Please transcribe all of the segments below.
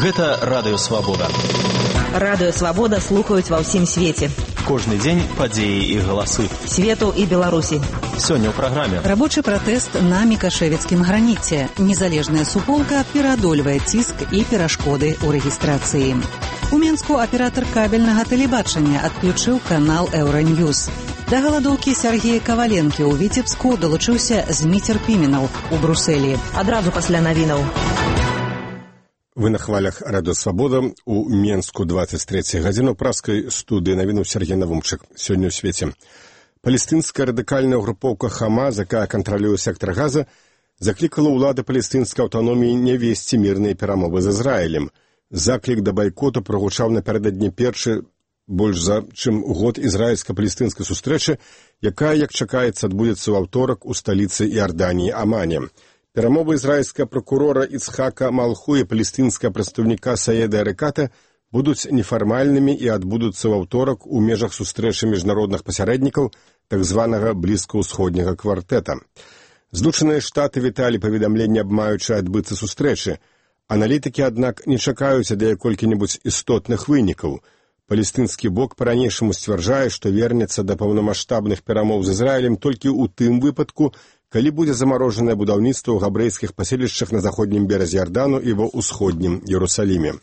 Гэта Радыё Свабода. Радыё Свабода слухаюць ва ўсім свеце. Кожны дзень падзеі і галасы. Свету і Беларусі. Сёння ў праграме. Рабочы пратэст на мікашэвіцкім граніце. Незалежная суполка пераадольвае ціск і перашкоды ў рэгістрацыі. У Менску аператар кабельнага тэлебачання адключыў канал Еўраньюз. Да галадоўкі Сергея Каваленкі ў Віцебску далучыўся Зміцер Піменаў у Брусэлі. Адразу пасля навінаў. Вы на хвалях Радыё Свабода. У Менску 23 гадзіну праскай студыі навінуў Сергей Навумчык. Сёння ў свеце. Палестынская радыкальная групоўка Хамас, якая кантралюе сектар Газа, заклікала ўлады палестынскай аўтаноміі не весці мірныя перамовы з Ізраілем. Заклік да байкоту прагучаў напярэдадні першы больш за чым год ізраільска-палестынскай сустрэчы, якая, як чакаецца, адбудзецца ў аўторак у сталіцы Іорданіі Амане. Перамовы ізраільскага прокурора Ицхака Малху і палестынскага прадстаўніка Саеда Эреката будуць нефармальнымі і адбудуцца ў аўторак у межах сустрэчы міжнародных пасярэднікаў так званага блізкаўсходняга квартэта. Злучаныя Штаты віталі паведамленне аб маючай адбыцца сустрэчы. Аналітыкі, аднак, не чакаюць ад яе колькі-небудзь істотных вынікаў. Палестынскі бок па-ранейшаму сцвярджае, што вернецца да паўнамаштабных перамоў з Ізраілем толькі ў тым выпадку, калі будзе замарожанае будаўніцтва ў габрэйскіх паселішчах на заходнім беразе Ярдану і ва ўсходнім Іерусаліме.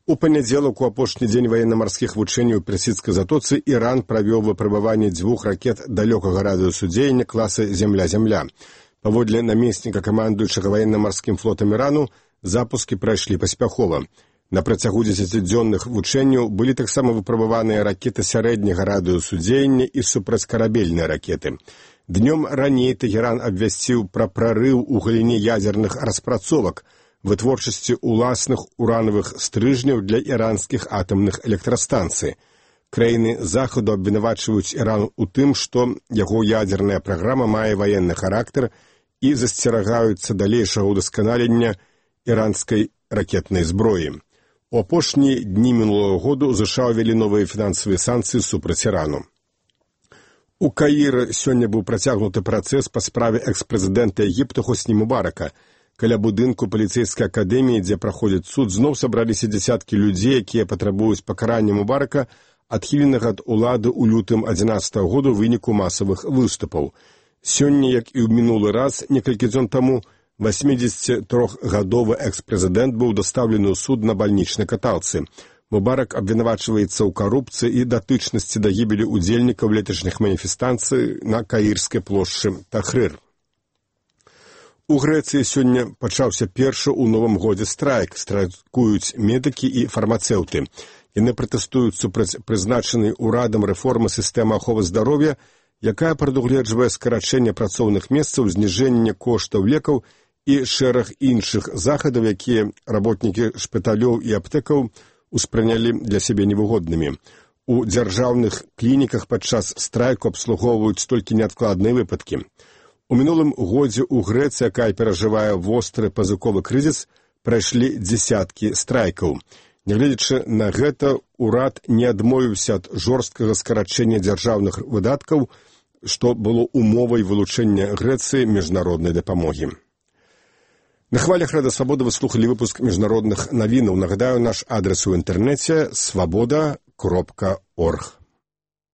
У панядзелак, у апошні дзень ваенна-марскіх вучэнняў у Персідскай затоцы, Іран правёў выпрабаванне 2 ракет далёкага радыусу дзеяння класа «Земля-Земля». Паводле намесніка камандуючага ваенна-марскім флотам Ірану, запускі прайшлі паспяхова. На працягу 10-дзённых вучэнняў былі таксама выпрабаваныя ракеты сярэдняга радыусу дзеяння і супрацькарабельныя ракеты. Днём раней Тэгеран абвясціў пра прарыў у галіне ядзерных распрацовак, вытворчасці ўласных уранавых стрыжняў для іранскіх атамных электрастанцый. Краіны Захаду абвінавачваюць Іран у тым, што яго ядзерная праграма мае ваенны характар і засцерагаюцца далейшага ўдасканалення іранскай ракетнай зброі. У апошнія дні мінулого году США ўвялі новыя фінансавыя санкцыі супраць Ірану. У Каіры сёння быў працягнуты працэс па справе экс-прэзідэнта Егіпта Хосні Мубарака. Каля будынку паліцэйскай акадэміі, дзе праходзіць суд, зноў сабраліся дзясяткі людзей, якія патрабуюць пакарання Мубарака, адхіленага ад улады ў лютым 2011 году ў выніку масавых выступаў. Сёння, як і ў мінулы раз, некалькі дзён таму, 83-гадовы экс-прэзідэнт быў дастаўлены ў суд на бальнічнай каталцы. Мубарак абвінавачваецца ў карупцыі і датычнасці да гібелі удзельнікаў леташніх маніфестацый на Каірскай плошчы Тахрыр. У Грэцыі сёння пачаўся першы ў новым годзе страйк. Страйкуюць медыкі і фармацэўты. Яны пратэстуюць супраць прызначанай урадам рэформы сістэмы аховы здароўя, якая прадугледжвае скарачэнне працоўных месцаў, зніжэнне коштаў лекаў і шэраг іншых захадаў, якія работнікі шпіталёў і аптэкаў успрынялі для сябе невыгоднымі. У дзяржаўных клініках падчас страйку абслугоўваюць толькі неадкладныя выпадкі. У мінулым годзе ў Грэцыі, якая перажывае востры пазыковы крызіс, прайшлі дзесяткі страйкаў. Нягледзячы на гэта, урад не адмовіўся ад жорсткага скарачэння дзяржаўных выдаткаў, што было умовай вылучэння Грэцыі міжнароднай дапамогі. На хвалях Радыё Свабода вы слухалі выпуск міжнародных навінаў. Нагадаю, наш адрес у інтэрнэце свабода.орг.